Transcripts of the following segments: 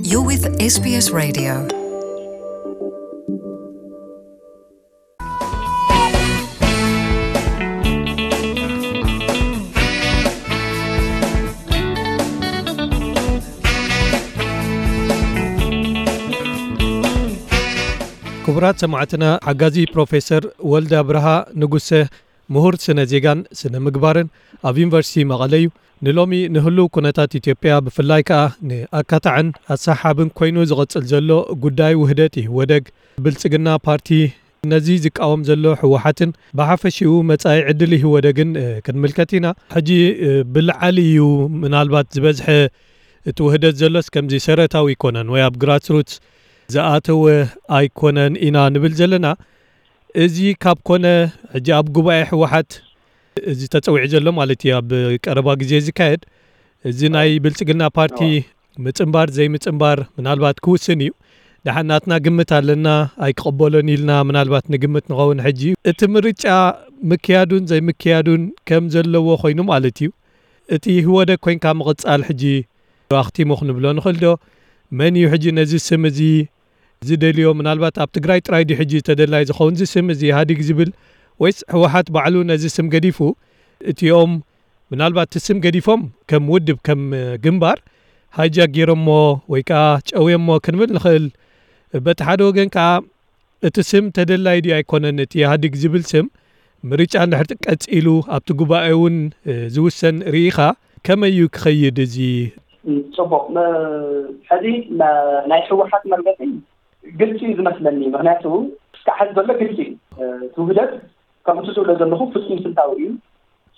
You're with S B S Radio. ክቡራት ሰማዕትና፣ ሓጋዚ ፕሮፌሰር ወልደ ኣብርሃ ንጉሰ፣ ምሁር ስነ ዜጋን ስነ ምግባርን ኣብ ዩኒቨርሲቲ መቐለ እዩ። ንሎሚ ንህሉው ኩነታት ኢትዮጵያ፣ ብፍላይ ከኣ ንኣካታዕን ኣሰሓብን ኮይኑ ዝቐጽል ዘሎ ጉዳይ ውህደት ኢህወደግ፣ ብልጽግና ፓርቲ፣ ነዚ ዝቃወም ዘሎ ህወሓትን ብሓፈሽኡ መጻኢ ዕድል ኢህወደግን፣ እ፣ ክንምልከት ኢና። ሕጂ፣ እ፣ ብልዓሊ እዩ ምናልባት ዝበዝሐ እቲ ውህደት ዘሎስ ከምዚ ሰረታዊ ኣይኮነን ወይ ኣብ ግራስሩት ዝኣተወ ኣይኮነን ኢና ንብል ዘለና። እዚ ካብ ኮነ፣ ሕጂ ኣብ ጉባኤ ህወሓት እዚ ተጸዊዑ ዘሎ ማለት እዩ፣ ኣብ ቀረባ ግዜ ዝካየድ፣ እዚ ናይ ብልጽግና ፓርቲ ምጽንባር ዘይምጽንባር ምናልባት ክውስን እዩ። ደሓን ናትና ግምት ኣለና፣ ኣይክቕበሎን ኢልና ምናልባት ንግምት ንኸውን። ሕጂ እቲ ምርጫ ምክያዱን ዘይምክያዱን ከም ዘለዎ ኮይኑ ማለት እዩ። እቲ ህወደግ ኮይንካ ምቕጻል ሕጂ ኣኽቲሙ ክንብሎ ንኽእል ዶ? መን እዩ ሕጂ ነዚ ስም እዚ ዝደልዮ? ምናልባት ኣብ ትግራይ ጥራይ ድዩ ሕጂ ተደላይ ዝኸውን እዚ ስም እዚ ኢህኣዲግ ዝብል? ወይስ ህወሓት ባዕሉ ነዚ ስም ገዲፉ? እቲኦም ምናልባት እቲ ስም ገዲፎም ከም ውድብ፣ ከም ግንባር ሃይጃክ ገይሮሞ ወይ ከዓ ጨውዮሞ ክንብል ንኽእል። በቲ ሓደ ወገን ከዓ እቲ ስም ተደላይ ድዩ ኣይኮነን፣ እቲ ኢህኣዲግ ዝብል ስም ምርጫ እንድሕር ቀጺሉ ኣብቲ ጉባኤ እውን፣ እ፣ ዝውሰን ርኢኻ፣ ከመይ እዩ ክኸይድ እዚ? ጽቡቕ። ም-፣ ሕዚ ና-፣ ናይ ህወሓት መርገጺ ግልጺ እዩ ዝመስለኒ። ምኽንያቱ እስካዕ ሕዚ ዘሎ ግልጺ እዩ። እ፣ እቲ ውህደት ከምቲ ዝብሎ ዘለኹ ፍጹም ስልታዊ እዩ።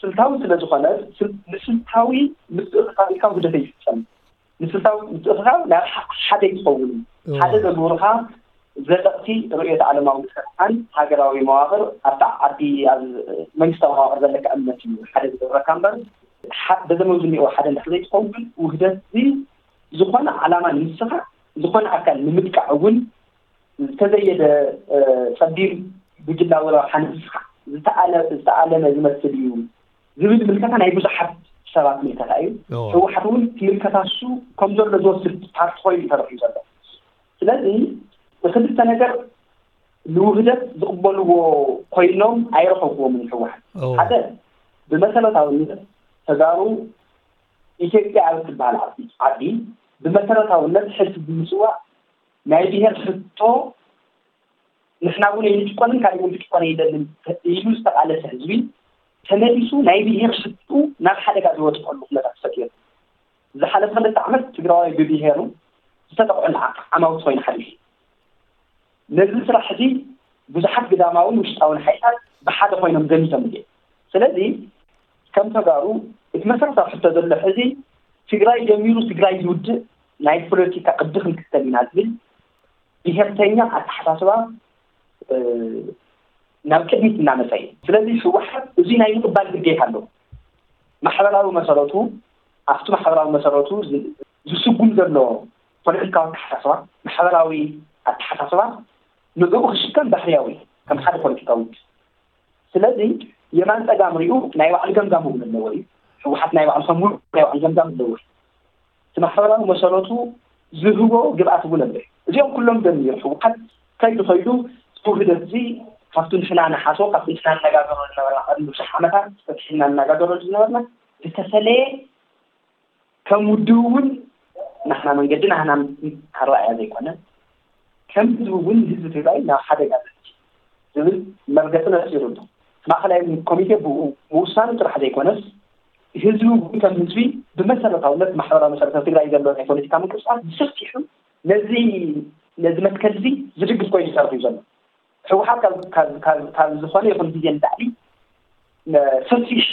ስልታዊ ስለ ዝኾነ፣ ስል-፣ ንስልታዊ ምትእኽኻብ ኢልካ ውህደት ኣይፍጸም። ንስልታዊ ምትእኽኻብ ናይ ሓ-፣ ሓደ ይኸውን። እዎ። ሓደ ዘግብሩኻ ዘለቕቲ ርእዮተ ዓለማዊ ንጥፈታትካን ሃገራዊ መዋቕር ኣብታ ዓዲ፣ ኣብ መንግስታዊ መዋቕር ዘለካ እምነት እዩ ሓደ ዝገብረካ እምበር፣ ሓ-፣ በዘመን ዝኒኦ ሓደ እንድሕር ዘይትኸውን፣ ውህደት እዚ ዝኾነ ዓላማ ንስኻ፣ ዝኾነ ኣካል ንምጥቃዕ እውን ዝተዘየደ፣ እ፣ ጸቢብ ጉጅላዊ ረብሓ ንስኻ ዝተኣለ-፣ ዝተኣለመ ዝመስል እዩ ዝብል ምልከታ ናይ ብዙሓት ሰባት ምልከታ እዩ። እዎ። ህወሓት እውን እቲ ምልከታ እሱ ከም ዘሎ ዝወስድ ፓርቲ ኮይኑ እዩ ተረኺቡ ዘሎ። ስለዚ፣ ክልተ ነገር ንውህደት ዝቕበልዎ ኮይኖም ኣይረኸብኩዎምን ህወሓት። እዎ። ሓደ፣ ብመሰረታውነት ተጋሩ ኢትዮጵያ ኣብ እትበሃል ዓዲ፣ ዓዲ ብመሰረታውነት ሕልፊ ብምስዋእ ናይ ብሄር ሕቶ ንሕና እውን ኣይንጭቆንን ካልእ እውን ክጭቆን ኣይደልን ኢሉ ዝተቓለሰ ህዝቢ ተመሊሱ ናይ ብሄር ሕቶ ናብ ሓደጋ ዝወድቀሉ ኩነታት ፈጢሩ። ዝሓለፈ ክልተ ዓመት ትግራዋይ ብብሄሩ ዝተጠቕዑ ዓማውቲ ኮይኑ ሓሊፉ። ነዚ ስራሕ እዚ ብዙሓት ግዳማውን ውሽጣውን ሓይልታት ብሓደ ኮይኖም ዘሚቶም እዮም። ስለዚ ከም ተጋሩ እቲ መሰረታዊ ሕቶ ዘሎ ሕዚ ትግራይ ጀሚሩ ትግራይ ዝውድእ ናይ ፖለቲካ ቅዲ ክንክተል ኢና ዝብል ብሄርተኛ ኣተሓሳስባ፣ እ፣ ናብ ቅድሚት እናመፀ እዩ። ስለዚ ህወሓት እዚ ናይ ምቕባል ግዴታ ኣለዎ። ማሕበራዊ መሰረቱ፣ ኣብቲ ማሕበራዊ መሰረቱ ዝ-፣ ዝስጉም ዘሎ ፖለቲካዊ ኣተሓሳስባ፣ ማሕበራዊ ኣተሓሳስባ ንዕኡ ክሽከም ባህርያዊ እዩ፣ ከም ሓደ ፖለቲካዊ ውድብ። ስለዚ የማን ጸጋም ሪኡ ናይ ባዕሉ ገምጋም እውን ኣለዎ እዩ። ህወሓት ናይ ባዕሉ ከም ውድብ ናይ ባዕሉ ገምጋም ኣለዎ እዩ። እቲ ማሕበራዊ መሰረቱ ዝህቦ ግብኣት እውን ኣሎ እዩ። እዚኦም ኩሎም ደሚሩ ህወሓት ከይዱ ከይዱ እቲ ውህደት እዚ ካብቲ ንሕና ንሓስቦ፣ ካብቲ ንሕና ንነጋገረሉ ዝነበርና፣ ቅድሚ ብዙሕ ዓመታት ፈትሒልና ንነጋገረሉ ዝነበርና ዝተፈለየ፣ ከም ውድብ እውን ናህና መንገዲ ናህና ኣረኣእያ ዘይኮነ፣ ከም ህዝቢ እውን ንህዝቢ ትግራይ ናብ ሓደጋ ዘእትዩ ዝብል መርገፂ ነፂሩ ኣሎ። ማእኸላይ ኮሚቴ ብኡ ምውሳኑ ጥራሕ ዘይኮነስ፣ ህዝቢ እውን ከም ህዝቢ ብመሰረታውነት ማሕበራዊ መሰረታዊ ትግራይ ዘሎ ናይ ፖለቲካ ምንቅስቃስ ብሰፊሑ ነዚ፣ ነዚ መትከል እዚ ዝድግፍ ኮይኑ ይሰርሕ እዩ ዘሎ። ህወሓት ካብ፣ ካብ፣ ካብ፣ ካብ ዝኾነ ይኹን ግዜ ንላዕሊ፣ ነ-፣ ሰፊሕ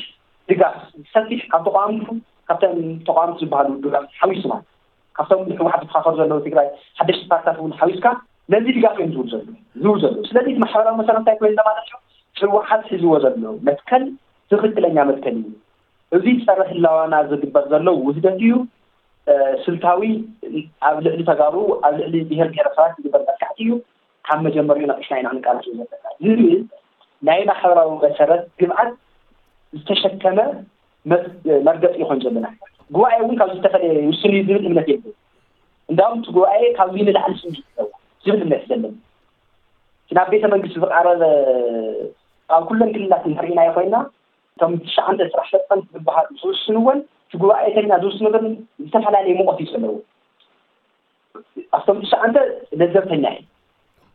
ድጋፍ፣ ሰፊሕ ካብ ተቃወምቱ፣ ካብተን ተቃወምቲ ዝበሃሉ ውድባት ሓዊሱ ማለት፣ ካብቶም ህወሓት ዝፋኸሩ ዘለዉ ትግራይ ሓደሽቲ ፓርትታት እውን ሓዊስካ ነዚ ድጋፍ እዮም ዝህቡ ዘለዉ፣ ዝህቡ ዘለዉ። ስለዚ እቲ ማሕበራዊ መሰረት እንታይ ኮይኑ ማለት እዩ? ህወሓት ሒዝዎ ዘሎ መትከል ትኽክለኛ መትከል እዩ። እዚ ጸረ ህላዋና ዝግበር ዘሎ ውህደት እዩ። እ፣ ስልታዊ ኣብ ልዕሊ ተጋሩ፣ ኣብ ልዕሊ ብሄር ብሄረሰባት ዝግበር መጥቃዕቲ እዩ። ካብ መጀመሪኡ ነቒሕና ኢና ክንቃለስ ዘለና ዝብል ናይ ማሕበራዊ መሰረት ግብዓት ዝተሸከመ መ-፣ መርገፂ ይኾን ዘለና። ጉባኤ እውን ካብ ዝተፈለየ ውስን እዩ ዝብል እምነት የለን። እንዳውም እቲ ጉባኤ ካብዚ ንላዕሊ ስምዒት ኣለዎ ዝብል እምነት ዘለኒ። እቲ ናብ ቤተ መንግስቲ ዝቐረበ፣ ኣብ ኩለን ክልላት እንተሪእናዮ ኮይና፣ እቶም ትሽዓተ ስራሕ ፈፃሚ ዝበሃሉ ዝውስንዎን እቲ ጉባኤተኛ ዝውስንዎን ዝተፈላለየ ሙቐት እዩ ዘለዎ። ኣብቶም ትሽዓተ ለዘብተኛ እዩ።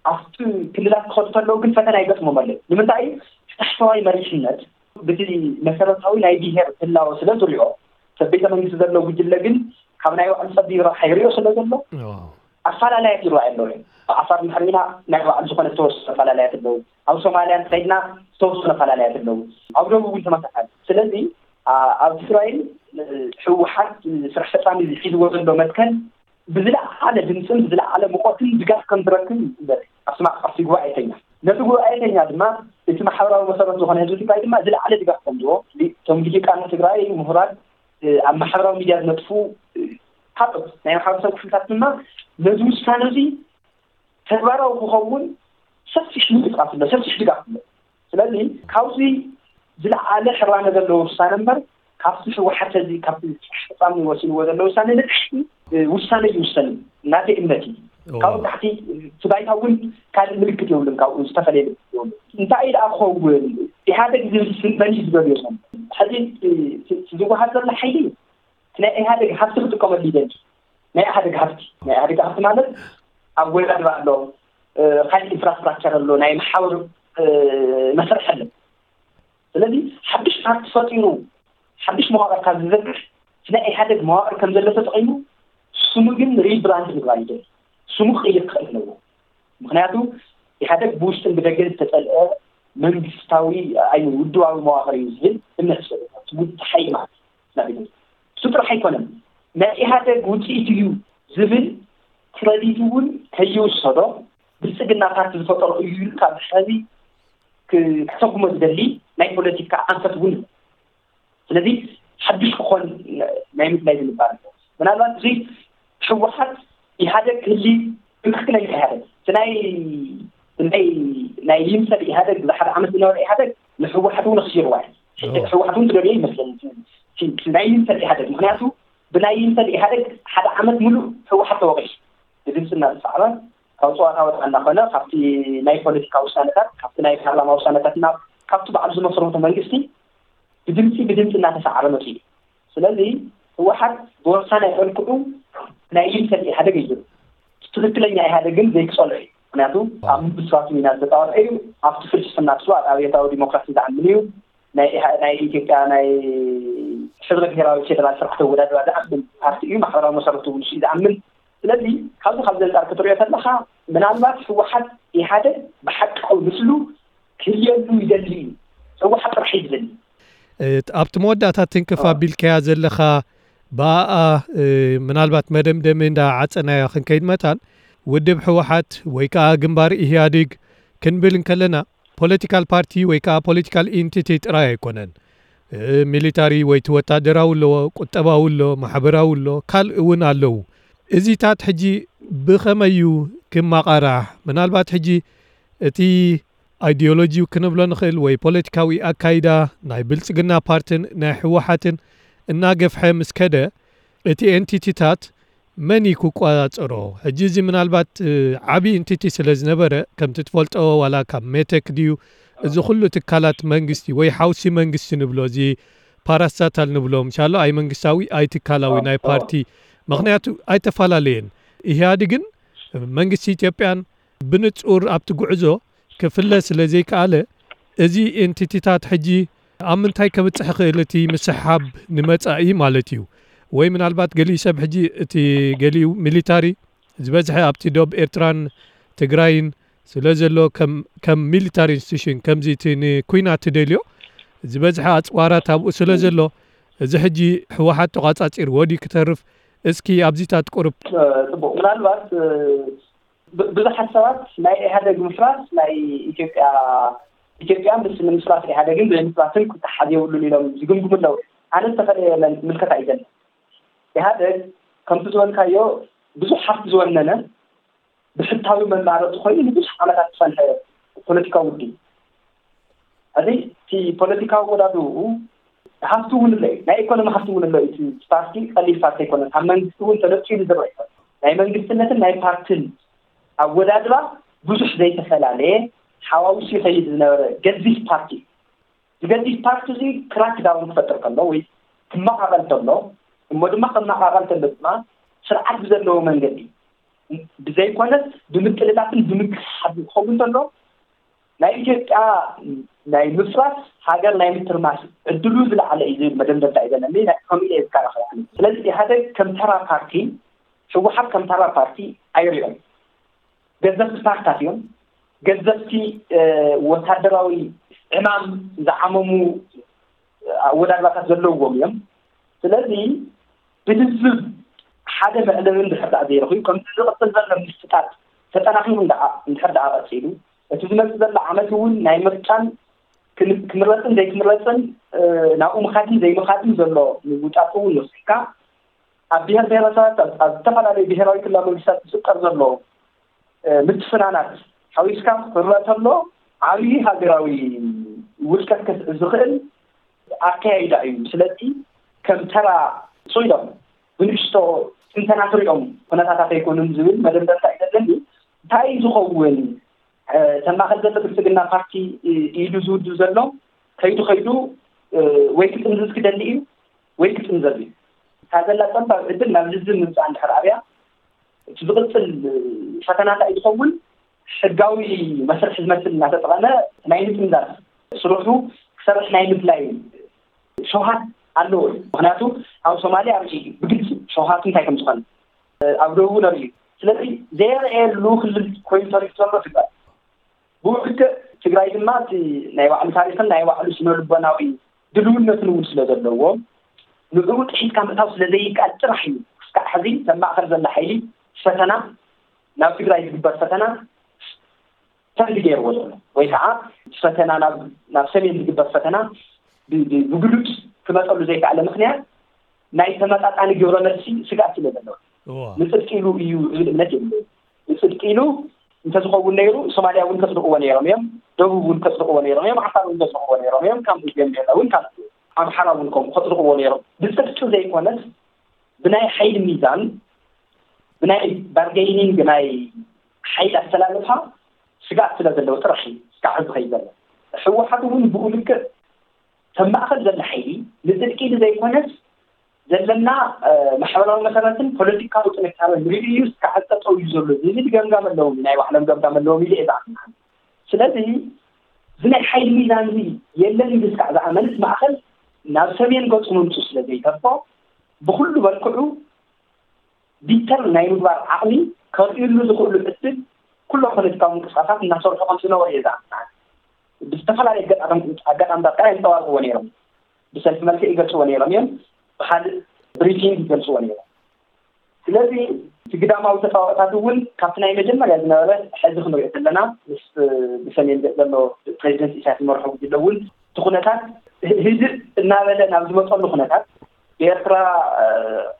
ኣብቲ ክልላት ክኸዱ ከለዉ ግን ፈተና ይገጥሞም ኣሎ። ንምንታይ? እቲ ታሕተዋይ መሪሕነት ብቲ መሰረታዊ ናይ ብሄር ህላወ ስለ ዝሪኦ፣ ሰብ ቤተ መንግስቲ ዘሎ ጉጅለ ግን ካብ ናይ ባዕሉ ጸቢብ ረብሓ ይሪኦ ስለ ዘሎ፣ ኣፈላለያት ይረኣዩ ኣለዉ። ኣብ ዓፋር እንድሕር ሪኢና ናይ ባዕሉ ዝኾነ ዝተወሰኑ ኣፈላለያት ኣለዉ። ኣብ ሶማልያ እንተኸይድና ዝተወሰኑ ኣፈላለያት ኣለዉ። ኣብ ደቡብ እውን ተመሳሳሊ። ስለዚ ኣብ ትግራይን ህወሓት ስራሕ ፈፃሚ ሒዝዎ ዘሎ መትከል ብዝለዓለ ድምፅን ብዝለዓለ ሙቐትን ድጋፍ ከም ዝረክብ ይግበር። ኣብቲ ማዕቀፍቲ ጉባኤተኛ ነቲ ጉባኤተኛ ድማ እቲ ማሕበራዊ መሰረት ዝኾነ ህዝቢ ትግራይ ድማ ዝለዓለ ድጋፍ ከም ዝዎ እቶም ልሂቃን ትግራይ ምሁራት ኣብ ማሕበራዊ ሚድያ ዝነጥፉ ካልኦት ናይ ማሕበረሰብ ክፍልታት ድማ ነዚ ውሳነ እዚ ተግባራዊ ክኸውን ሰፊሕ ምንቅስቃስ ኣሎ፣ ሰፊሕ ድጋፍ ኣሎ። ስለዚ ካብዚ ዝለዓለ ሕራነ ዘለዎ ውሳነ እምበር ካብቲ ህወሓት እዚ ካብቲ ስራሕ ፈፃሚ ወሲንዎ ዘሎ ውሳነ ንታሕቲ ውሳነ ይውሰን ናተይ እምነት እዩ። ካብኡ ታሕቲ እቲ ባይታ እውን ካልእ ምልክት የብሉን፣ ካብኡ ዝተፈለየ ምልክት የብሉን። እንታይ ደኣ ክኸውን ኢህኣደግ ዝብል ስም መን እዩ ዝበልዮ ዘሎ? ሕዚ ዝወሃብ ዘሎ ሓይሊ ናይ ኢህኣደግ ሃፍቲ ክጥቀመሉ ይደሊ። ናይ ኢህኣደግ ሃፍቲ፣ ናይ ኢህኣደግ ሃፍቲ ማለት ኣወዳድባ ኣሎ፣ ካልእ ኢንፍራስትራክቸር ኣሎ፣ ናይ መሓውር መሰርሒ ኣሎ። ስለዚ ሓድሽ ፓርቲ ፈጢሩ ሓድሽ መዋቅር ካብ ዝዘርግሕ ናይ ኢህኣደግ መዋቅር ከም ዘሎ ተጠቂሙ ስሙ ግን ሪብራንድ ምግባር ይደሊ። ስሙ ክቕይር ክኽእል ኣለዎ። ምክንያቱ ኢህኣደግ ብውሽጥን ብደገን ዝተፀልአ መንግስታዊ ኣይ ውድባዊ መዋቅር እዩ ዝብል እምነት ዝሰለ ውድብ ሓይሊ ማለት እዩ። እሱ ጥራሕ ኣይኮነን፣ ናይ ኢህኣደግ ውፅኢት እዩ ዝብል ክረዲት እውን ከይውሰዶ ብልፅግና ፓርቲ ዝፈጠሮ እዩ ኢሉ ካብ ሕዚ ክሰጉሞ ዝደሊ ናይ ፖለቲካ ኣንፈት እውን። ስለዚ ሓድሽ ክኾን ናይ ምድላይ ዝንባር ኣሎ። ምናልባት እዚ ህወሓት ኢህኣደግ ክህሊ ትክክለኛ ኢህኣደግ ናይ ናይ ናይ ይምሰል ኢህኣደግ ብሓደ ዓመት ዝነበረ ኢህኣደግ ንህወሓት እውን ክሲርዋ እዩ። ህወሓት እውን ትደልዮ ይመስለኒ ናይ ይምሰል ኢህኣደግ። ምክንያቱ ብናይ ይምሰል ኢህኣደግ ሓደ ዓመት ሙሉእ ህወሓት ተወቂሱ ብድምፂ እናተሳዕበ ካብ ፀዋታ ወፃ እናኾነ ካብቲ ናይ ፖለቲካ ውሳነታት ካብቲ ናይ ፓርላማ ውሳነታት እና ካብቲ ባዕሉ ዝመስረቶ መንግስቲ ብድምፂ ብድምፂ እናተሳዕረ መፂኡ። ስለዚ ህወሓት ብወሳናይ መልክዑ ናይ ይምሰል ኢህኣደግ እዩ። ትክክለኛ ኢህኣደግ ግን ዘይክፀልዑ እዩ። ምክንያቱ ኣብ ምስራቱ ኢና ዝተፃወዐ እዩ። ኣብቲ ፍልስፍና ስዋ ኣብዮታዊ ዲሞክራሲ ዝኣምን እዩ። ናይ ኢትዮጵያ ናይ ሕብረ ብሔራዊ ፌደራል ስርዓት ኣወዳድባ ዝኣምን ፓርቲ እዩ። ማሕበራዊ መሰረቱ እውን ዝኣምን። ስለዚ ካብዚ ካብ ዘንፃር ክትሪኦ ከለካ ምናልባት ህወሓት ኢህኣደግ ብሓቃዊ ምስሉ ክህልየሉ ይደሊ እዩ። ህወሓት ጥራሕ እዩ ዝደሊ። ኣብቲ መወዳእታ ትንክፍ ኣቢልካያ ዘለኻ ብኣኣ ምናልባት መደምደሚ እንዳ ዓፀናያ ክንከይድ መታን ውድብ ህወሓት ወይ ከዓ ግንባር ኢህያዴግ ክንብል እንከለና ፖለቲካል ፓርቲ ወይ ከዓ ፖለቲካል ኢንቲቲ ጥራይ ኣይኮነን። ሚሊታሪ ወይ ወታደራዊ ኣለዎ፣ ቁጠባዊ ኣሎ፣ ማሕበራዊ ኣሎ፣ ካልእ እውን ኣለዉ። እዚታት ሕጂ ብኸመይ እዩ ክመቓራሕ? ምናልባት ሕጂ እቲ ኣይዲዮሎጂ ክንብሎ ንኽእል ወይ ፖለቲካዊ ኣካይዳ ናይ ብልፅግና ፓርትን ናይ ህወሓትን እናገፍሐ ምስ ከደ እቲ ኤንቲቲታት መን እዩ ክቆፃፀሮ? ሕጂ እዚ ምናልባት ዓብዪ ኤንቲቲ ስለ ዝነበረ ከምቲ ትፈልጦ ዋላ ካብ ሜቴክ ድዩ እዚ ኩሉ ትካላት መንግስቲ ወይ ሓውሲ መንግስቲ ንብሎ እዚ ፓራስታታል ንብሎ ምሻሎ ኣይ መንግስታዊ ኣይ ትካላዊ ናይ ፓርቲ ምክንያቱ ኣይተፈላለየን ኢህኣድግን መንግስቲ ኢትዮጵያን ብንፁር ኣብቲ ጉዕዞ ክፍለ ስለ ዘይከኣለ እዚ ኤንቲቲታት ሕጂ ኣብ ምንታይ ከብፅሕ ክእል እቲ ምስሓብ ንመፃኢ ማለት እዩ ወይ ምናልባት ገሊኡ ሰብ ሕጂ እቲ ገሊኡ ሚሊታሪ ዝበዝሐ ኣብቲ ዶብ ኤርትራን ትግራይን ስለ ዘሎ ከም ሚሊታሪ ኢንስቲቱሽን ከምዚ እቲ ንኩናት ትደልዮ ዝበዝሐ ኣፅዋራት ኣብኡ ስለ ዘሎ እዚ ሕጂ ህወሓት ተቋፃፂርዎ ድዩ ክተርፍ እስኪ ኣብዚታት ቁሩብ ፅቡቅ ምናልባት ብዙሓት ሰባት ናይ ኢህኣደግ ምፍራስ ናይ ኢትዮጵያ ኢትዮጵያ ምስ ንምፍራስ ኢህኣደግን ዘይምፍራስን ክተሓዝ የብሉን ኢሎም ዝግምግሙ ኣለዉ። ኣነ ዝተፈለየ ምልከታ እዩ ዘሎ። ኢህኣደግ ከምቲ ዝበልካዮ ብዙሕ ሃፍቲ ዝወነነ ብሕታዊ መማረፂ ኮይኑ ንብዙሕ ዓመታት ዝፀንሐ ፖለቲካዊ ውድብ። እዚ እቲ ፖለቲካዊ ወዳድኡ ሃፍቲ እውን ኣሎ እዩ። ናይ ኢኮኖሚ ሃፍቲ እውን ኣሎ እዩ። እቲ ፓርቲ ቀሊል ፓርቲ ኣይኮነን። ካብ መንግስቲ እውን ተነፂሉ ዝረአ ይኮነ። ናይ መንግስትነትን ናይ ፓርትን ኣወዳድባ ብዙሕ ዘይተፈላለየ ሓዋውሱ ይኸይድ ዝነበረ ገዚፍ ፓርቲ። ዝገዲድ ፓርቲ እዚ ክራክ ዳውን ክፈጥር ከሎ ወይ ክመቓቐል ከሎ፣ እሞ ድማ ክመቓቐል ከሎ ድማ ስርዓት ብዘለዎ መንገዲ ብዘይኮነስ ብምጥልላፍን ብምክስሓብ ክኸውን ከሎ፣ ናይ ኢትዮጵያ ናይ ምፍራስ፣ ሃገር ናይ ምትርማስ ዕድሉ ዝለዓለ እዩ ዝብል መደምደምታ እዩ ዘለኒ። ከምኡ ኢለ እየ ዝከራኸር። ስለዚ ኢህኣደግ ከም ተራ ፓርቲ፣ ህወሓት ከም ተራ ፓርቲ ኣይሪኦም። ገዘፍቲ ፓርትታት እዮም። ገዘፍቲ ወታደራዊ ዕማም ዝዓመሙ ኣወዳድባታት ዘለዎም እዮም። ስለዚ ብልዝብ ሓደ መዕለቢ እንድሕር ደኣ ዘይረኽቡ፣ ከምቲ ዝቕፅል ዘሎ ምስጣት ተጠናኺሩ እንድሕር ደኣ ቀፂሉ፣ እቲ ዝመፅእ ዘሎ ዓመት እውን ናይ ምርጫን ክምረፅን ዘይክምረፅን ናብኡ ምኻድን ዘይምኻድን ዘሎ ምውጣጥ እውን ወሲድካ፣ ኣብ ብሄር ብሄረሰባት ኣብ ዝተፈላለዩ ብሄራዊ ክልላዊ መንግስታት ዝፍጠር ዘሎ ምትፍናናት ሓዊስካ ክረአ ተሎ ዓብዪ ሃገራዊ ውድቀት ከስዕብ ዝኽእል ኣካያይዳ እዩ። ስለዚ ከም ተራ ሶይዶም ብንእሽቶ ትንተና ክሪኦም ኩነታታት ኣይኮኑን ዝብል መደምደምታ እዩ ዘለኒ። እንታይ ዝኸውን ተማኸል ዘሎ ብልፅግና ፓርቲ ኢሉ ዝውድብ ዘሎ ከይዱ ከይዱ ወይ ክጥምዝዝ ክደሊ እዩ ወይ ክጥምዘዝ እዩ። እታ ዘላ ፀባብ ዕድል ናብ ልዝብ ምምፃእ እንድሕር ኣብያ እቲ ዝቕፅል ፈተናታ እዩ ዝኸውን። ሕጋዊ መስርሕ ዝመስል እናተጠቐመ ናይ ምጥምዛዝ ስርሑ ክሰርሕ ናይ ምድላይ ሸውሃት ኣለዎ እዩ። ምክንያቱ ኣብ ሶማሊያ ርኢ ብግልፂ ሸውሃቱ እንታይ ከም ዝኾነ ኣብ ደቡብ እውን ርኢ። ስለዚ ዘይረኣየሉ ክልል ኮይኑ ተሪፉ ዘሎ ትግራይ ብውልክዕ ትግራይ ድማ እቲ ናይ ባዕሉ ታሪክን ናይ ባዕሉ ስነ ልቦናዊ ድልውነትን እውን ስለ ዘለዎ ንዕኡ ጥሒትካ ምእታው ስለ ዘይከኣል ጥራሕ እዩ ክስካዕ ሕዚ ተማእኸል ዘላ ሓይሊ ፈተና ናብ ትግራይ ዝግበር ፈተና ፈንድ ገይርዎ ዘሎ ወይ ከዓ ፈተና ናብ ሰሜን ዝግበር ፈተና ብግሉድ ክመፀሉ ዘይከኣለ ምክንያት ናይ ተመጣጣኒ ግብረ መልሲ ስግኣት ስለ ዘለዎ ንፅድቂ ኢሉ እዩ ዝብል እምነት የለ። ንፅድቂ ኢሉ እንተዝኸውን ነይሩ ሶማልያ እውን ከፅድቕዎ ነይሮም እዮም። ደቡብ እውን ከፅድቕዎ ነይሮም እዮም። ዓፋር እውን ከፅድቕዎ ነይሮም እዮም። ካብ ቤንቤላ እውን ካብ ኣምሓራ እውን ከምኡ ከፅድቕዎ ነይሮም። ብፅድቂ ዘይኮነስ ብናይ ሓይሊ ሚዛን ብናይ ባርገይኒንግ ናይ ሓይሊ ኣስተላልፋ ስጋት ስለ ዘለዎ ጥራሕ እዩ ስጋዕ ዝኸይ ዘሎ። ህወሓት እውን ብኡ ልክዕ ተማእኸል ዘለ ሓይሊ ንፅድቂ ኢሉ ዘይኮነስ ዘለና ማሕበራዊ መሰረትን ፖለቲካዊ ጥንካረ ንሪኡ እዩ ስጋዕ ጠጠው እዩ ዘሎ ዝብል ገምጋም ኣለዎም። ናይ ባዕሎም ገምጋም ኣለዎም ኢሉ እየ ዝኣምን። ስለዚ እዚ ናይ ሓይሊ ሚዛን እዚ የለን ኢሉ ስጋዕ ዝኣመንስ ማእኸል ናብ ሰሜን ገፁ ምምፁ ስለ ዘይተርፎ ብኩሉ መልክዑ ዲተር ናይ ምግባር ዓቕሚ ከርእዩሉ ዝኽእሉ ዕድል ኩሎም ፖለቲካዊ ምንቅስቃሳት እናሰርሑ ከም ዝነበሩ እየ ዝኣምን። ብዝተፈላለየ ኣጋጣምታት ከዓ የንፀባርቅዎ ነይሮም። ብሰልፊ መልክዕ ይገልፅዎ ነይሮም እዮም። ብካልእ ብሪፊንግ ይገልፅዎ ነይሮም። ስለዚ እቲ ግዳማዊ ተፃዋዕታት እውን ካብቲ ናይ መጀመርያ ዝነበረ ሕዚ ክንሪኦ ዘለና ምስ ብሰሜን ዘሎ ፕሬዚደንት ኢሳያስ ዝመርሖ ጉጅለ እውን እቲ ኩነታት ህድእ እናበለ ናብ ዝመፀሉ ኩነታት ብኤርትራ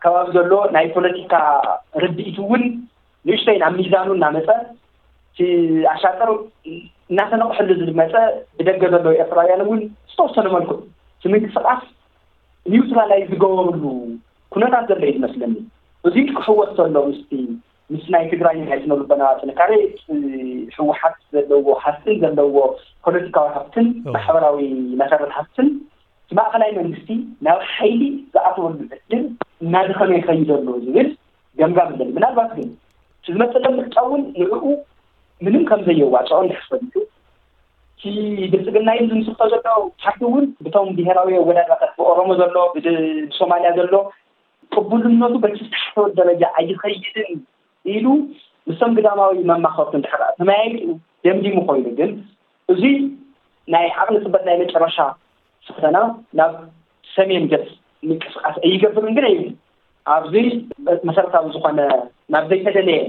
ከባቢ ዘሎ ናይ ፖለቲካ ርድኢት እውን ንእሽተይ ናብ ሚዛኑ እናመፀ እቲ ኣሻጥር እናተነቕሐሉ ዝመፀ ብደገ ዘለዉ ኤርትራውያን እውን ዝተወሰነ መልክዑ እቲ ምንቅስቃስ ኒውትራላይዝ ዝገበሩሉ ኩነታት ዘሎ እዩ ዝመስለኒ። እዚ ክሕወስ ዘሎ ምስቲ ምስ ናይ ትግራይ ናይ ስነ ልቦና ጥንካሬ ህወሓት ዘለዎ ሃፍትን ዘለዎ ፖለቲካዊ ሃፍትን ማሕበራዊ መሰረት ሃፍትን እቲ ማእኸላይ መንግስቲ ናብ ሓይሊ ዝኣተወሉ ዕድል እናደኸመ ይኸይድ ኣሎ ዝብል ገምጋም ኣለኒ። ምናልባት ግን እቲ ዝመፅእ ዘሎ ምርጫ እውን ንዕኡ ምንም ከም ዘየዋፅኦ እንድሕር ፈሊጡ እቲ ብልፅግና ኢሉ ዝምስርቶ ዘሎ ፓርቲ እውን ብቶም ብሄራዊ ኣወዳድባታት ብኦሮሞ ዘሎ ብሶማልያ ዘሎ ቅቡልነቱ በቲ ዝተሓሰበ ደረጃ ኣይኸይድን ኢሉ ምስቶም ግዳማዊ መማኸርቱ እንድሕር ተመያይጡ ደምዲሙ ኮይኑ ግን እዚ ናይ ዓቕሊ ፅበት ናይ መጨረሻ ፈተና ናብ ሰሜን ገፅ ምንቅስቃስ ኣይገብርን ግን ኣይብል ኣብዚ መሰረታዊ ዝኾነ ናብ ዘይተደለየ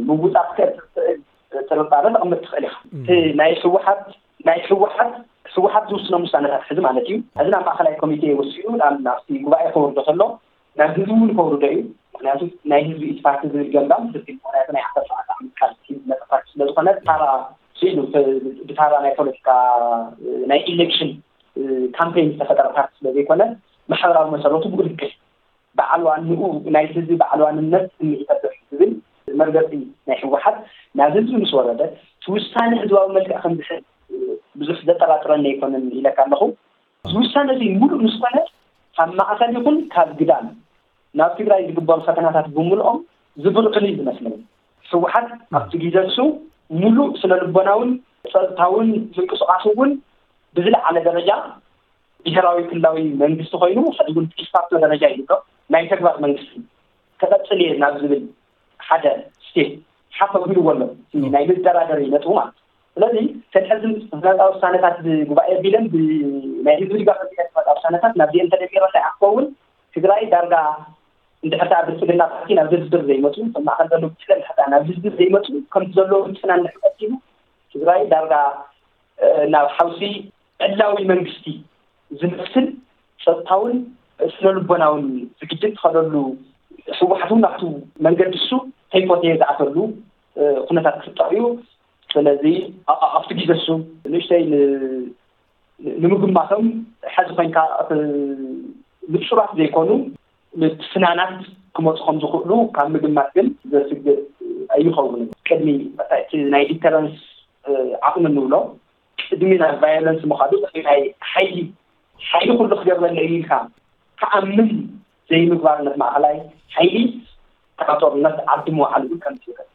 ምውፃእ ክእል ጥርጣረ ተቐምጥ ትኽእል ኢኻ። ናይ ህወሓት ናይ ህወሓት ህወሓት ዝውስኖም ውሳነታት ሕዚ ማለት እዩ። እዚ ናብ ማእኸላይ ኮሚቴ ወሲኑ ናብ ናብቲ ጉባኤ ከወርዶ ከሎ ናብ ህዝቢ እውን ከወርዶ እዩ። ምክንያቱ ናይ ህዝቢ ኢቲ ፓርቲ ዝብል ገምጋም ህዝቢ ምክንያቱ ናይ ዓሰርተ ሸውዓተ ዓመት ቃልሲ ዝመፀ ፓርቲ ስለዝኮነ ታራ ስኢሉ ብታራ ናይ ፖለቲካ ናይ ኢሌክሽን ካምፔን ዝተፈጠረ ፓርቲ ስለዘይኮነ ማሕበራዊ መሰረቱ ብኡ ልክዕ በዓል ዋንኡ ናይቲ ህዝቢ በዓል ዋንነት ስምዒት ኣሎ ዝብል መርገፂ ናይ ህወሓት ናብ ህዝቢ ምስ ወረደ፣ እቲ ውሳነ ህዝባዊ መልክዕ ከም ዝሕዝ ብዙሕ ዘጠራጥረኒ ኣይኮነን ኢለካ ኣለኹ። እዚ ውሳነ እዚ ሙሉእ ምስ ኮነ፣ ካብ ማእኸል ይኹን ካብ ግዳም ናብ ትግራይ ዝግበሩ ፈተናታት ብምልኦም ዝብርቕን እዩ ዝመስለኒ። ህወሓት ኣብቲ ግዜ እሱ ሙሉእ ስነ ልቦናውን ጸጥታውን ምንቅስቓሱ እውን ብዝለዓለ ደረጃ ብሄራዊ ክልላዊ መንግስቲ ኮይኑ፣ ሕዚ እውን ዲፋክቶ ደረጃ እዩ ዘሎ፣ ናይ ተግባር መንግስቲ ክቐጽል እየ ናብ ዝብል ሓደ ስቴፕ ሓፍ ኣቢልዎ ኣሎ። እቲ ናይ መደራደሪ ነጥቡ ማለት እዩ። ስለዚ፣ ሰልሐ ዝመፃ ውሳነታት ብጉባኤ ኣቢለን ብናይ ህዝቢ ድጋፍ ኣቢለን ዝመፃ ውሳነታት ናብዚአን ተደሚረን እንታይ ክኸውን፣ ትግራይ ዳርጋ እንድሕር ደኣ ብልፅግና ፓርቲ ናብ ድርድር ዘይመፁ፣ ኣብ ማእኸል ዘሎ ጉጅለ እንድሕር ደኣ ናብ ድርድር ዘይመፁ፣ ከምቲ ዘለዎ ምፅና እንድሕር ቀፂሉ፣ ትግራይ ዳርጋ ናብ ሓውሲ ዕላዊ መንግስቲ ዝመስል ጸጥታውን ስነ ልቦናውን ዝግጅት ትኸደሉ፣ ህወሓት እውን ኣብቱ መንገዲ እሱ ተይፎተየ ዝኣተሉ ኩነታት ክፍጠር እዩ። ስለዚ ኣብቲ ግዜ እሱ ንእሽተይ ንምግማቶም፣ ሕዚ ኮይንካ ንጹራት ዘይኮኑ ምስናናት ክመፁ ከም ዝኽእሉ ካብ ምግማት ግን ዘስግእ ኣይኸውንን። ቅድሚ እቲ ናይ ዲተረንስ ዓቕሚ ንብሎ፣ ቅድሚ ናብ ቫዮለንስ ምኻዱ፣ ቅድሚ ናይ ሓይሊ ሓይሊ ኩሉ ክገብረለይ ኢልካ ክኣምን ዘይምግባር፣ ነቲ ማእኸላይ ሓይሊ ካብ ጦርነት ዓዲ ምውዓል እውን ከም ዝኽእል፣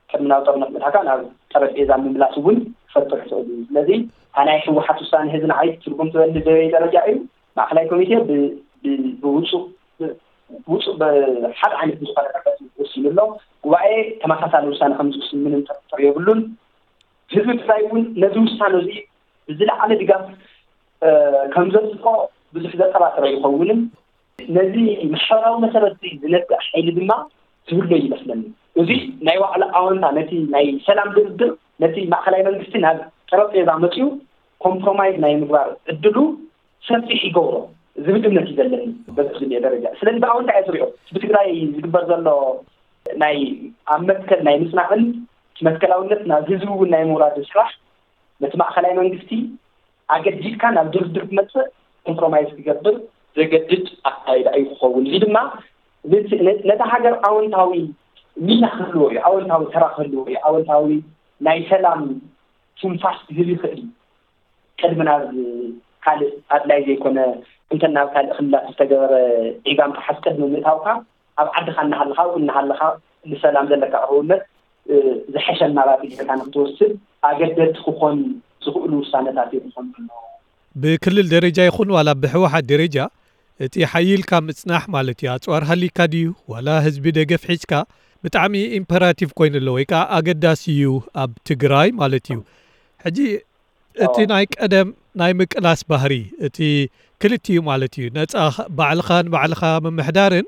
ቅድሚ ናብ ጦርነት ምእታካ ናብ ጠረጴዛ ምምላስ እውን ክፈጥር ይኽእል እዩ። ስለዚ እታ ናይ ህወሓት ውሳነ ህዚ ንዓይ ትርጉም ትበሊ ደረጃ እዩ። ማእኸላይ ኮሚቴ ብውፁእ ውፁእ ብሓደ ዓይነት ዝኾነ መርገፂ ወሲኑ ኣሎ። ጉባኤ ተመሳሳሊ ውሳነ ከም ዝውስን ምንም ጥርጥር የብሉን። ህዝቢ ትግራይ እውን ነዚ ውሳነ እዚ ብዝለዓለ ድጋፍ ከም ዘፅድቆ ብዙሕ ዘጠራጥር ኣይኸውንን። ነዚ ማሕበራዊ መሰረት ዝነግእ ሓይሊ ድማ ዝህሎ ይመስለኒ። እዚ ናይ ዋዕላ ኣወንታ ነቲ ናይ ሰላም ድርድር፣ ነቲ ማእኸላይ መንግስቲ ናብ ጠረጴዛ መፅዩ ኮምፕሮማይዝ ናይ ምግባር ዕድሉ ሰፊሕ ይገብሮ ዝብል እምነት እዩ ዘለኒ በዚ ደረጃ። ስለዚ ብኣወንታ እየ ዝሪኦ። ብትግራይ ዝግበር ዘሎ ናይ ኣብ መትከል ናይ ምፅናዕን መትከላውነት ናብ ህዝቢ እውን ናይ ምውራድ ስራሕ ነቲ ማእኸላይ መንግስቲ ኣገዲድካ ናብ ድርድር ክመፅእ ኮምፕሮማይዝ ክገብር ዘገድድ ኣካይዳ እዩ ክኸውን። እዚ ድማ ነቲ ሃገር ኣወንታዊ ሚና ክህልዎ እዩ፣ ኣወንታዊ ተራ ክህልዎ እዩ፣ ኣወንታዊ ናይ ሰላም ትንፋስ ክህብ ይኽእል እዩ። ቅድሚ ናብ ካልእ ኣድላይ ዘይኮነ እንተ ናብ ካልእ ክልላት ዝተገበረ ዒጋም ተሓዝ ቅድሚ ምእታውካ ኣብ ዓድኻ እናሃለኻ ኣብኡ እናሃለኻ ንሰላም ዘለካ ቅርውነት ዝሐሸ ኣማራፂ ጌርካ ንክትወስድ ኣገደድቲ ክኾኑ ዝኽእሉ ውሳነታት እዮም ዝኾኑ ኣለዉ። ብክልል ደረጃ ይኹን ዋላ ብህወሓት ደረጃ እቲ ሓይልካ ምፅናሕ ማለት እዩ። ኣፅዋር ሃሊካ ድዩ ዋላ ህዝቢ ደገፍ ሒዝካ ብጣዕሚ ኢምፐራቲቭ ኮይኑ ኣሎ ወይ ከዓ ኣገዳሲ እዩ ኣብ ትግራይ ማለት እዩ። ሕጂ እቲ ናይ ቀደም ናይ ምቅላስ ባህሪ እቲ ክልቲኡ ማለት እዩ። ነፃ ባዕልኻ ንባዕልኻ ምምሕዳርን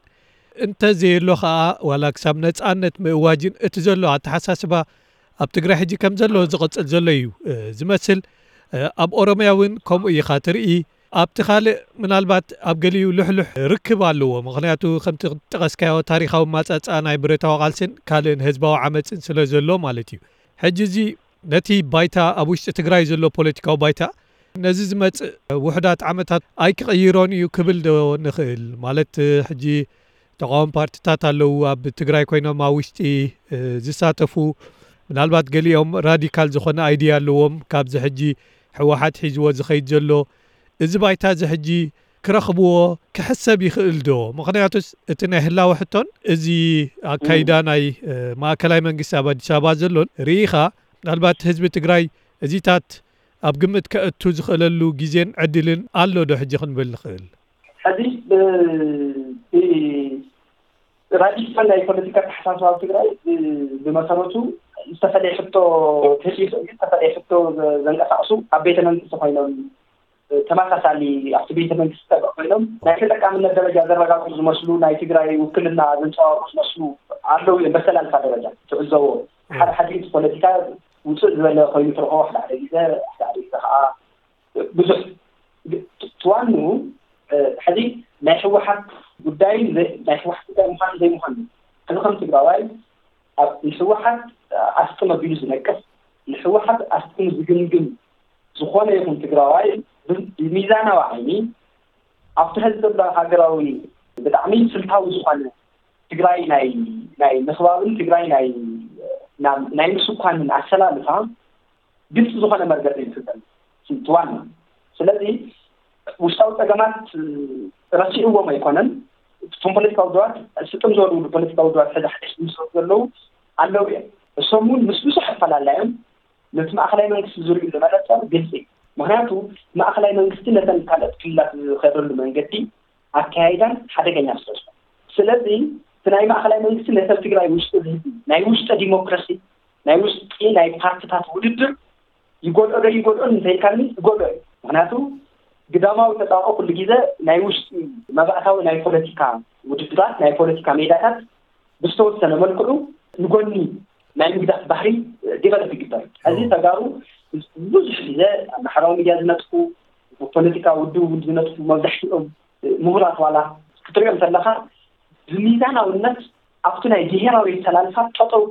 እንተዘየሎ ከዓ ዋላ ክሳብ ነፃነት ምእዋጅን እቲ ዘሎ ኣተሓሳስባ ኣብ ትግራይ ሕጂ ከም ዘሎ ዝቕፅል ዘሎ እዩ ዝመስል። ኣብ ኦሮምያ እውን ከምኡ ኢኻ ትርኢ። ኣብቲ ካልእ ምናልባት ኣብ ገሊኡ ልሕሉሕ ርክብ ኣለዎ። ምኽንያቱ ከምቲ ጠቐስካዮ ታሪኻዊ ማፃፃ ናይ ብረታዊ ቃልስን ካልእን ህዝባዊ ዓመፅን ስለ ዘሎ ማለት እዩ። ሕጂ እዚ ነቲ ባይታ ኣብ ውሽጢ ትግራይ ዘሎ ፖለቲካዊ ባይታ ነዚ ዝመፅእ ውሕዳት ዓመታት ኣይክቕይሮን እዩ ክብል ዶ ንኽእል? ማለት ሕጂ ተቃዋሚ ፓርቲታት ኣለዉ ኣብ ትግራይ ኮይኖም ኣብ ውሽጢ ዝሳተፉ፣ ምናልባት ገሊኦም ራዲካል ዝኾነ ኣይድያ ኣለዎም ካብዚ ሕጂ ህወሓት ሒዝዎ ዝኸይድ ዘሎ። እዚ ባይታ እዚ ሕጂ ክረኽብዎ ክሕሰብ ይኽእል ዶ? ምኽንያቱስ እቲ ናይ ህላወ ሕቶን እዚ ኣካይዳ ናይ ማእከላይ መንግስቲ ኣብ ኣዲስ ኣበባ ዘሎን ርኢኻ ምናልባት ህዝቢ ትግራይ እዚታት ኣብ ግምት ከእቱ ዝኽእለሉ ግዜን ዕድልን ኣሎ ዶ ሕጂ ክንብል ንኽእል? ሕዚ ራዲካል ናይ ፖለቲካ ኣተሓሳስባ ኣብ ትግራይ ብመሰረቱ ዝተፈለየ ሕቶ ክህል ይኽእል፣ ዝተፈለየ ሕቶ ዘንቀሳቕሱ ኣብ ቤተ መንግስቲ ኮይኖም ተመሳሳሊ ኣብቲ ቤተ መንግስቲ ጠበቕ ኮይኖም ናይ ተጠቃምነት ደረጃ ዘረጋግፁ ዝመስሉ ናይ ትግራይ ውክልና ዘንፀባርቑ ዝመስሉ ኣለዉ እዮም። በተላልካ ደረጃ ትዕዘቦ ሓደ ሓደ እቲ ፖለቲካ ውፅእ ዝበለ ኮይኑ ትረኽቦ ሓደ ሓደ ግዜ ሓደ ሓደ ግዜ ከዓ ብዙሕ ትዋኑ ሕዚ ናይ ህወሓት ጉዳይ ናይ ህወሓት ጉዳይ ምዃኑ ዘይምዃኑ ሕዚ ከም ትግራዋይ ኣብ ንህወሓት ኣስጥም ኣቢሉ ዝነቅፍ ንህወሓት ኣስጥም ዝግምግም ዝኾነ ይኹን ትግራዋይ ብሚዛናዊ ዓይኒ ኣብቲ ሕዚ ዘሎ ሃገራዊ ብጣዕሚ ስልታዊ ዝኾነ ትግራይ ናይ ናይ ምኽባብን ትግራይ ናይ ናይ ምስኳንን ኣሰላልፋ ግልፂ ዝኾነ መርገፂ እዩ ዝፍጠር ትዋን። ስለዚ ውሽጣዊ ፀገማት ረሲዕዎም ኣይኮነን። እቶም ፖለቲካዊ ውድባት ስጥም ዝበሉ ፖለቲካዊ ውድባት ሕዚ ሓደሽ ምስ ዘለዉ ኣለዉ እዮም። እሶም እውን ምስ ብዙሕ ኣፈላለዮም ነቲ ማእኸላይ መንግስቲ ዝርእዩ መነፀር ግልፂ እዩ። ምክንያቱ ማእኸላይ መንግስቲ ነተን ካልኦት ክልላት ዝኸደሉ መንገዲ ኣካያይዳን ሓደገኛ ስለ ዝኾነ፣ ስለዚ እቲ ናይ ማእኸላይ መንግስቲ ነተን ትግራይ ውሽጢ ዝህቢ ናይ ውሽጢ ዲሞክራሲ ናይ ውሽጢ ናይ ፓርቲታት ውድድር ይጎድኦ ዶ ይጎድኦን እንተኢልካኒ ይጎድኦ እዩ። ምክንያቱ ግዳማዊ ተፃብኦ ኩሉ ግዜ ናይ ውሽጢ መባእታዊ ናይ ፖለቲካ ውድድራት ናይ ፖለቲካ ሜዳታት ብዝተወሰነ መልክዑ ንጎኒ ናይ ምግዳፍ ባህሪ ዲቨሎፕ ይግበር። እዚ ተጋሩ ብዙሕ ግዜ ኣብ ማሕበራዊ ሚድያ ዝነጥፉ ፖለቲካ ውድብ ዝነጥፉ መብዛሕትኦም ምሁራት ዋላ ክትሪኦም ከለኻ ብሚዛናውነት ኣብቲ ናይ ብሄራዊ ኣሰላልፋ ጠጠው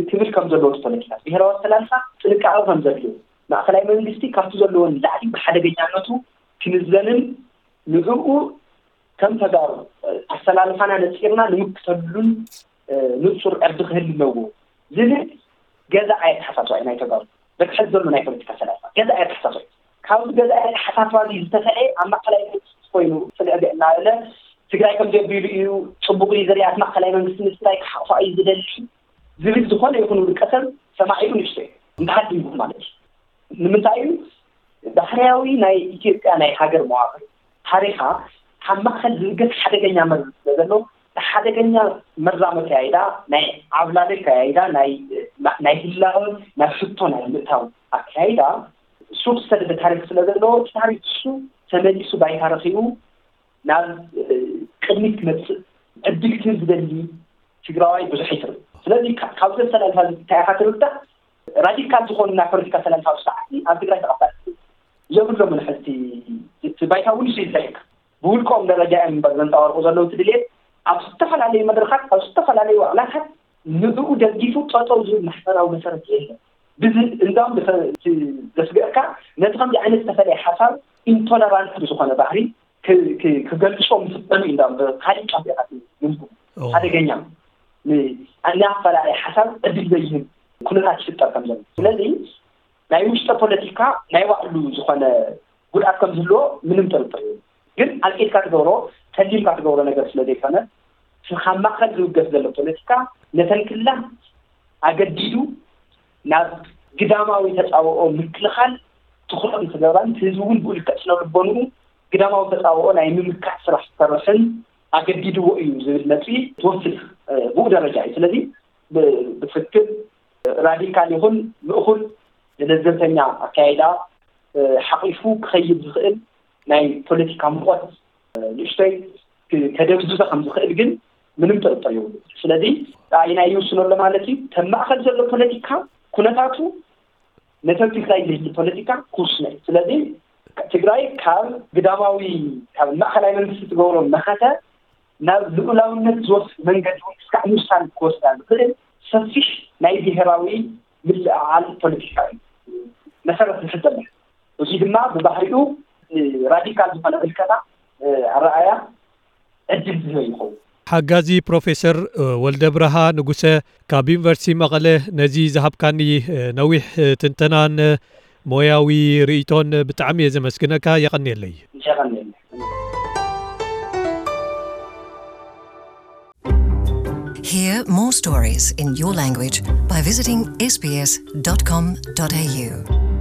ክብል ከም ዘለዎ ፖለቲካ ብሄራዊ ኣሰላልፋ ጥንቃቐ ከም ዘድልዮ ማእኸላይ መንግስቲ ካብቲ ዘለዎን ላዕሊ ብሓደገኛነቱ ክንዘንን ንዕኡ ከም ተጋሩ ኣሰላልፋና ነፂርና ንምክተሉን ንፁር ዕርዲ ክህል ኣለዎ ዝብል ገዛ ኣየተሓሳስባ እዩ ናይ ተጋሩ በትሐት ዘሎ ናይ ፖለቲካ ኣሰላልፋ ገዛ ኣየተሓሳስባ እዩ። ካብዚ ገዛ ኣየተሓሳስባ እዚ ዝተፈለየ ኣብ ማእኸላይ መንግስቲ ኮይኑ ፅልዕገ እናበለ ትግራይ ከም ዘቢሉ እዩ ፅቡቅ እዩ ዝሪኣት ማእኸላይ መንግስቲ ንትግራይ ክሓቕፋ እዩ ዝደሊ ዝብል ዝኾነ ይኹን ውልቀሰብ ሰማዒሉ ንእሽቶ እዩ እንተሃዲሙ ማለት እዩ። ንምንታይ እዩ ባህርያዊ ናይ ኢትዮጵያ ናይ ሃገር መዋቅር ታሪኻ ካብ ማእኸል ዝብገስ ሓደገኛ መርዚ ስለ ዘሎ ሓደገኛ መርዛመ ከያይዳ ናይ ዓብላለ ከያይዳ ናይ ህላወ ናብ ሕቶ ናይ ምእታው ኣከያይዳ ሱር ዝሰደደ ታሪክ ስለ ዘለዎ እቲ ታሪክ እሱ ተመሊሱ ባይታ ረኪቡ ናብ ቅድሚት ክመፅእ ዕድል ክህብ ዝደሊ ትግራዋይ ብዙሕ ይትርእ። ስለዚ ካብዚ ኣሰላልፋ እንታይ ኢኻ ትርዳእ? ራዲካል ዝኾኑ ናይ ፖለቲካ ኣሰላልፋ ኣብ ሰዓት ኣብ ትግራይ ተቐባል የብሎምን። ሕዚ እቲ ባይታ እውን እሱ ይዘይካ ብውልቆም ደረጃ እዮም እምበር ዘንፀባርቁ ዘለዉ እቲ ድሌት ኣብ ዝተፈላለዩ መድረኻት ኣብ ዝተፈላለዩ ዋዕላታት ንዕኡ ደጊፉ ጠጠው ዝብል ማሕበራዊ መሰረት የለን። ብዚ እንዳም ዘስግእካ ነቲ ከምዚ ዓይነት ዝተፈለየ ሓሳብ ኢንቶለራንት ብዝኾነ ባህሪ ክገልጾም ዝፍጠኑ እዩ እንዳም ብካሊእ ጫፍ ኢኻ ትምዝግቡ ሓደገኛ ናይ ኣፈላለየ ሓሳብ ዕድል ዘይህብ ኩነታት ይፍጠር ከም ዘሎ ስለዚ ናይ ውሽጠ ፖለቲካ ናይ ባዕሉ ዝኾነ ጉድኣት ከም ዝህልዎ ምንም ጥርጥር እዩ። ግን ኣልቂትካ ትገብሮ ተሊምካ ትገብሮ ነገር ስለ ዘይኮነ ካብ ማእኸል ዝውገስ ዘሎ ፖለቲካ ነተን ክልላት ኣገዲዱ ናብ ግዳማዊ ተፃብኦ ምክልኻል ትኹረት ንክገብራን እቲ ህዝቢ እውን ብኡ ልክዕ ስነ ልቦንኡ ግዳማዊ ተፃብኦ ናይ ምምካት ስራሕ ክሰርሕን ኣገዲድዎ እዩ ዝብል ነጥቢ ትወስድ ብኡ ደረጃ እዩ። ስለዚ ብትክክል ራዲካል ይኹን ምእኹል ንለዘብተኛ ኣካያይዳ ሓቂፉ ክኸይድ ዝኽእል ናይ ፖለቲካ ሙቐት ንእሽተይ ከደብዝዞ ከም ዝኽእል ግን ምንም ጥርጥር የብሉ። ስለዚ ኣየናይ ይውስኖ ኣሎ ማለት እዩ። ከም ማእኸል ዘሎ ፖለቲካ ኩነታቱ ነተን ትግራይ ዝህሊ ፖለቲካ ክውስኖ እዩ። ስለዚ ትግራይ ካብ ግዳማዊ ካብ ማእኸላይ መንግስቲ ትገብሮ መኸተ ናብ ልኡላውነት ዝወስድ መንገዲ እውን ክሳዕ ምውሳን ክወስዳ ዝኽእል ሰፊሕ ናይ ብሄራዊ ምልዕዓል ፖለቲካ እዩ መሰረት ዝሕዘለ። እዚ ድማ ብባህሪኡ ራዲካል ዝኾነ ምልከታ ኣረኣያ ዕድል ዝህበ ይኸውን። ሓጋዚ ፕሮፌሰር ወልደብርሃ ንጉሰ ካብ ዩኒቨርሲቲ መቐለ ነዚ ዝሃብካኒ ነዊሕ ትንተናን ሞያዊ ርእይቶን ብጣዕሚ እየ ዘመስግነካ። የቐንየለይ። የቐንየለይ። Hear more stories in your language by visiting S B S dot com dot A U.